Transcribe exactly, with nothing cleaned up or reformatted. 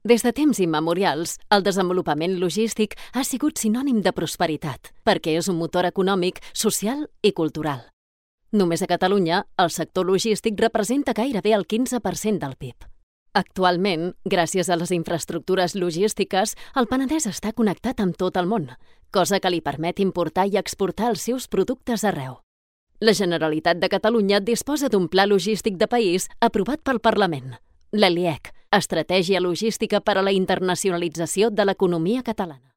Des de temps immemorials, el desenvolupament logístic ha sigut sinònim de prosperitat, perquè és un motor econòmic, social i cultural. Només a Catalunya, el sector logístic representa gairebé el quinze per cent del P I B. Actualment, gràcies a les infraestructures logístiques, el Penedès està connectat amb tot el món, cosa que li permet importar i exportar els seus productes arreu. La Generalitat de Catalunya disposa d'un pla logístic de país aprovat pel Parlament, l'E L I E C, Estratègia Logística per a la Internacionalització de l'Economia Catalana.